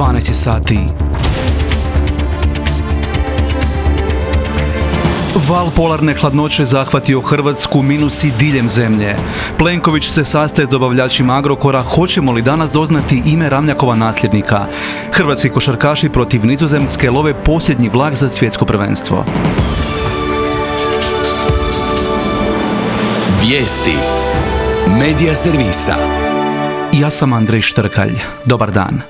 12 sati. Val polarne hladnoće zahvatio Hrvatsku, minusi diljem zemlje. Plenković se sastaje s dobavljačima Agrokora. Hoćemo li danas doznati ime Ramljakova nasljednika? Hrvatski košarkaši protiv Nizozemske love posljednji vlak za svjetsko prvenstvo. Vijesti Medija servisa. Ja sam Andrej Štrkalj. Dobar dan.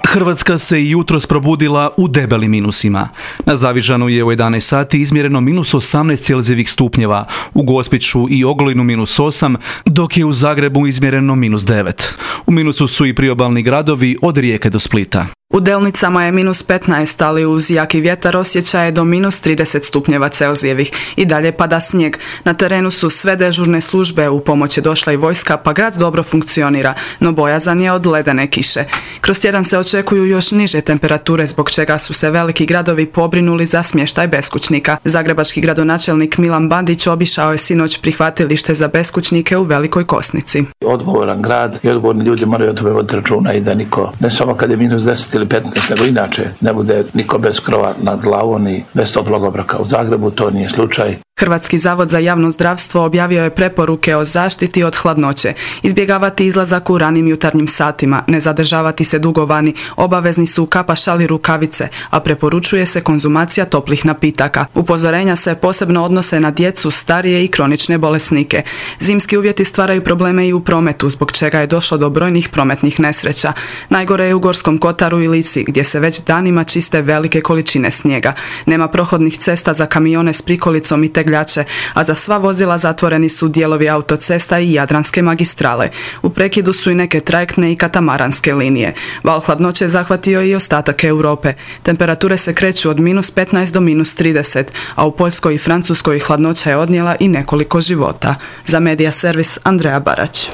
Hrvatska se i jutros probudila u debelim minusima. Na Zavižanu je u 11 sati izmjereno minus 18 celzijevih stupnjeva, u Gospiću i Ogulinu minus 8, dok je u Zagrebu izmjereno minus 9. U minusu su i priobalni gradovi od Rijeke do Splita. U Delnicama je minus 15, ali uz jaki vjetar osjeća je do minus 30 stupnjeva celzijevih. I dalje pada snijeg. Na terenu su sve dežurne službe, u pomoć je došla i vojska, pa grad dobro funkcionira, no bojazan je od ledene kiše. Kroz tjedan se očekuju još niže temperature, zbog čega su se veliki gradovi pobrinuli za smještaj beskućnika. Zagrebački gradonačelnik Milan Bandić obišao je sinoć prihvatilište za beskućnike u Velikoj Kosnici. Odgovoran grad i odgovorni ljudi moraju o tome voditi računa i da niko, ne samo kad je minus 10 ili 15, nego inače ne bude niko bez krova nad glavom i bez toplog obroka. U Zagrebu to nije slučaj. Hrvatski zavod za javno zdravstvo objavio je preporuke o zaštiti od hladnoće. Izbjegavati izlazak u ranim jutarnjim satima, ne zadržavati se dugo vani, obavezni su kapa, šal i rukavice, a preporučuje se konzumacija toplih napitaka. Upozorenja se posebno odnose na djecu, starije i kronične bolesnike. Zimski uvjeti stvaraju probleme i u prometu, zbog čega je došlo do brojnih prometnih nesreća. Najgore je u Gorskom Kotaru i Lici, gdje se već danima čiste velike količine snijega. Nema prohodnih cesta za kamione s prikolicom i tegljače, a za sva vozila zatvoreni su dijelovi autocesta i Jadranske magistrale. U prekidu su i neke trajektne i katamaranske linije. Val hladnoće zahvatio i ostatak Europe. Temperature se kreću od minus 15 do minus 30, a u Poljskoj i Francuskoj hladnoća je odnijela i nekoliko života. Za Medija servis Andreja Barać.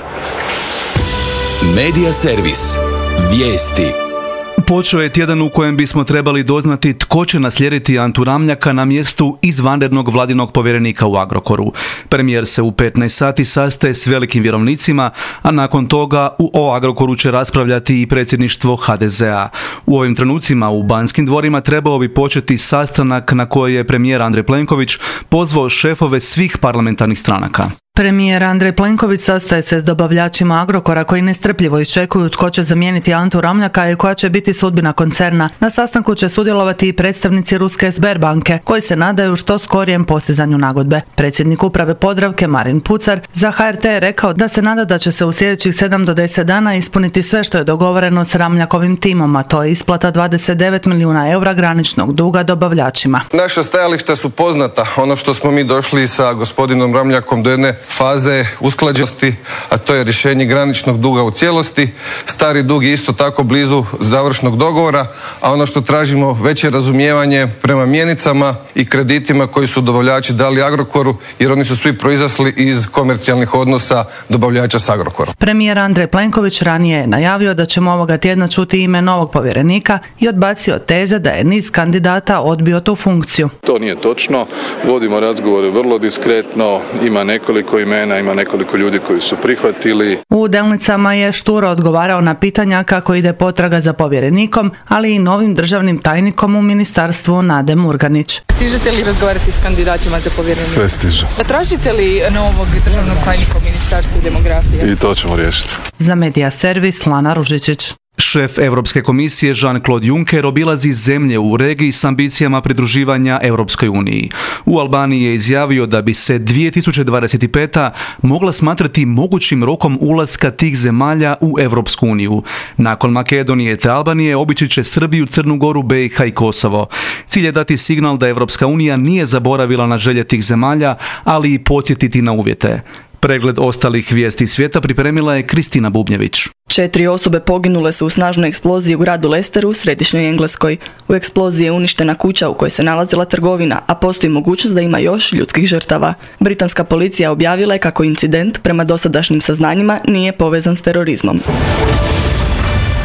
Medija servis. Vijesti. Počeo je tjedan u kojem bismo trebali doznati tko će naslijediti Antu Ramljaka na mjestu izvanrednog vladinog povjerenika u Agrokoru. Premijer se u 15 sati sastaje s velikim vjerovnicima, a nakon toga o Agrokoru će raspravljati i predsjedništvo HDZ-a. U ovim trenucima u Banskim dvorima trebao bi početi sastanak na koji je premijer Andrej Plenković pozvao šefove svih parlamentarnih stranaka. Premijer Andrej Plenković sastaje se s dobavljačima Agrokora koji nestrpljivo iščekuju tko će zamijeniti Antu Ramljaka i koja će biti sudbina koncerna. Na sastanku će sudjelovati i predstavnici ruske Sberbanke koji se nadaju što skorijem postizanju nagodbe. Predsjednik uprave Podravke Marin Pucar za HRT je rekao da se nada da će se u sljedećih 7 do 10 dana ispuniti sve što je dogovoreno s Ramljakovim timom, a to je isplata 29 milijuna eura graničnog duga dobavljačima. Naša stajališta su poznata. Ono što smo mi došli sa gospodinom Ramljakom do jedne faze usklađenosti, a to je rješenje graničnog duga u cijelosti. Stari dug je isto tako blizu završnog dogovora, a ono što tražimo veće razumijevanje prema mjenicama i kreditima koji su dobavljači dali Agrokoru, jer oni su svi proizasli iz komercijalnih odnosa dobavljača s Agrokorom. Premijer Andrej Plenković ranije je najavio da ćemo ovoga tjedna čuti ime novog povjerenika i odbacio teze da je niz kandidata odbio tu funkciju. To nije točno. Vodimo razgovore vrlo diskretno, ima nekoliko imena, ima nekoliko ljudi koji su prihvatili. U Delnicama je šturo odgovarao na pitanja kako ide potraga za povjerenikom, ali i novim državnim tajnikom u ministarstvu Nade Murganić. Stižete li razgovarati s kandidatima za povjerenika? Sve stiže. A tražite li novog državnog tajnika u ministarstvu demografije? I to ćemo riješiti. Za Medija servis Lana Ružičić. Šef Europske komisije Jean-Claude Juncker obilazi zemlje u regiji s ambicijama pridruživanja Europskoj uniji. U Albaniji je izjavio da bi se 2025. mogla smatrati mogućim rokom ulaska tih zemalja u Europsku uniju. Nakon Makedonije te Albanije obići će Srbiju, Crnu Goru, BiH i Kosovo. Cilj je dati signal da Europska unija nije zaboravila na želje tih zemalja, ali i podsjetiti na uvjete. Pregled ostalih vijesti svijeta pripremila je Kristina Bubnjević. 4 osobe poginule su u snažnoj eksploziji u gradu Leicesteru u središnjoj Engleskoj. U eksploziji je uništena kuća u kojoj se nalazila trgovina, a postoji mogućnost da ima još ljudskih žrtava. Britanska policija objavila je kako incident, prema dosadašnjim saznanjima, nije povezan s terorizmom.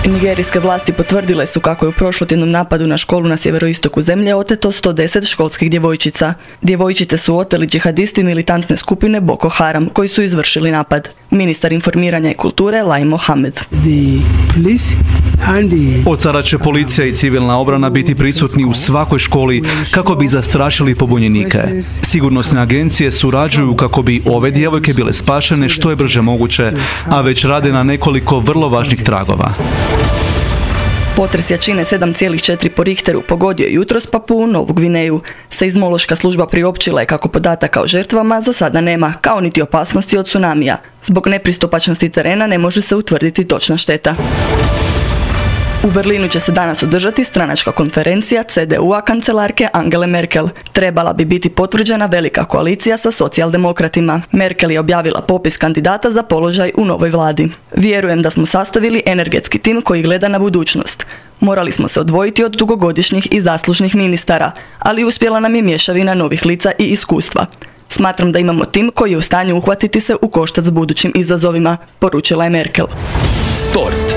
Nigerijske vlasti potvrdile su kako je u prošlotjednom napadu na školu na sjeveroistoku zemlje oteto 110 školskih djevojčica. Djevojčice su oteli džihadisti militantne skupine Boko Haram, koji su izvršili napad. Ministar informiranja i kulture Lai Mohamed. The police Od sada će policija i civilna obrana biti prisutni u svakoj školi kako bi zastrašili pobunjenike. Sigurnosne agencije surađuju kako bi ove djevojke bile spašene što je brže moguće, a već rade na nekoliko vrlo važnih tragova. Potres jačine 7,4 po Richteru pogodio je jutros Papuu Novu Gvineju. Seizmološka služba priopćila je kako podataka o žrtvama za sada nema, kao niti opasnosti od tsunamija. Zbog nepristupačnosti terena ne može se utvrditi točna šteta. U Berlinu će se danas održati stranačka konferencija CDU-a kancelarke Angele Merkel. Trebala bi biti potvrđena velika koalicija sa socijaldemokratima. Merkel je objavila popis kandidata za položaj u novoj vladi. Vjerujem da smo sastavili energetski tim koji gleda na budućnost. Morali smo se odvojiti od dugogodišnjih i zaslužnih ministara, ali uspjela nam je mješavina novih lica i iskustva. Smatram da imamo tim koji je u stanju uhvatiti se u koštac s budućim izazovima, poručila je Merkel. Sport.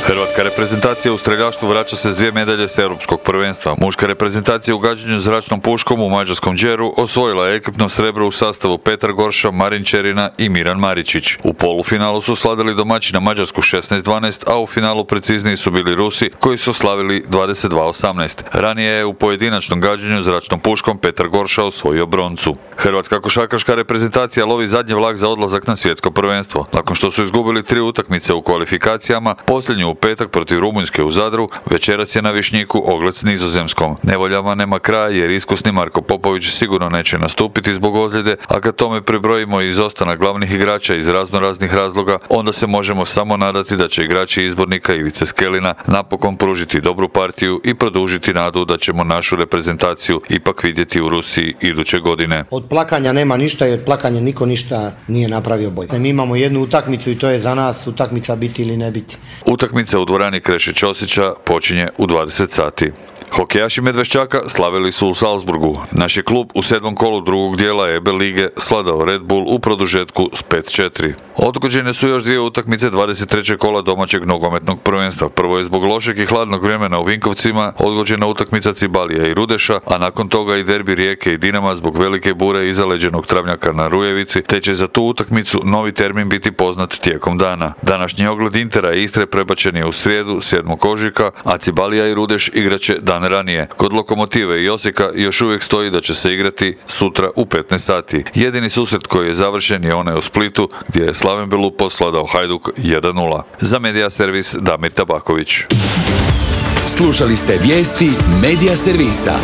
Hrvatska reprezentacija u streljaštvu vraća se s 2 medalje s europskog prvenstva. Muška reprezentacija u gađanju zračnom puškom u mađarskom Đeru osvojila je ekipno srebro u sastavu Petar Gorša, Marin Čerina i Miran Maričić. U polufinalu su slavili domaćina Mađarsku 16-12, a u finalu precizniji su bili Rusi koji su slavili 22-18. Ranije je u pojedinačnom gađanju zračnom puškom Petar Gorša osvojio broncu. Hrvatska košarkaška reprezentacija lovi zadnji vlak za odlazak na svjetsko prvenstvo. Nakon što su izgubili 3 utakmice u kvalifikacijama, posljednju u petak protiv Rumunjske u Zadru, večeras je na Višnjiku ogled s Nizozemskom. Nevoljama nema kraja jer iskusni Marko Popović sigurno neće nastupiti zbog ozljede, a kad tome pribrojimo i izostanak glavnih igrača iz raznoraznih razloga, onda se možemo samo nadati da će igrači izbornika Ivice Skelina napokon pružiti dobru partiju i produžiti nadu da ćemo našu reprezentaciju ipak vidjeti u Rusiji iduće godine. Od plakanja nema ništa i od plakanja niko ništa nije napravio bolje. Mi imamo jednu utakmicu i to je za nas utakmica biti ili ne biti. Utakmica u dvorani Kreše Ćosića počinje u 20 sati. Hokejaši Medveščaka slavili su u Salzburgu. Naš je klub u 7. kolu drugog dijela EB lige svladao Red Bull u produžetku s 5-4. Odgođene su još 2 utakmice 23. kola domaćeg nogometnog prvenstva. Prvo je zbog lošeg i hladnog vremena u Vinkovcima odgođena utakmica Cibalija i Rudeša, a nakon toga i derbi Rijeke i Dinama zbog velike bure i zaleđenog travnjaka na Rujevici, te će za tu utakmicu novi termin biti poznat tijekom dana. Današnji ogled Intera i Istre prebačen je u srijedu 7. ožujka, a Cibalija i Rudeš igraće dan ranije. Kod Lokomotive i Osijeka još uvijek stoji da će se igrati sutra u 15 sati. Jedini susret koji je završen je onaj u Splitu gdje je Slaven Belupo svladao Hajduk 1-0. Za Medija servis Damir Tabaković. Slušali ste vijesti Medija servisa.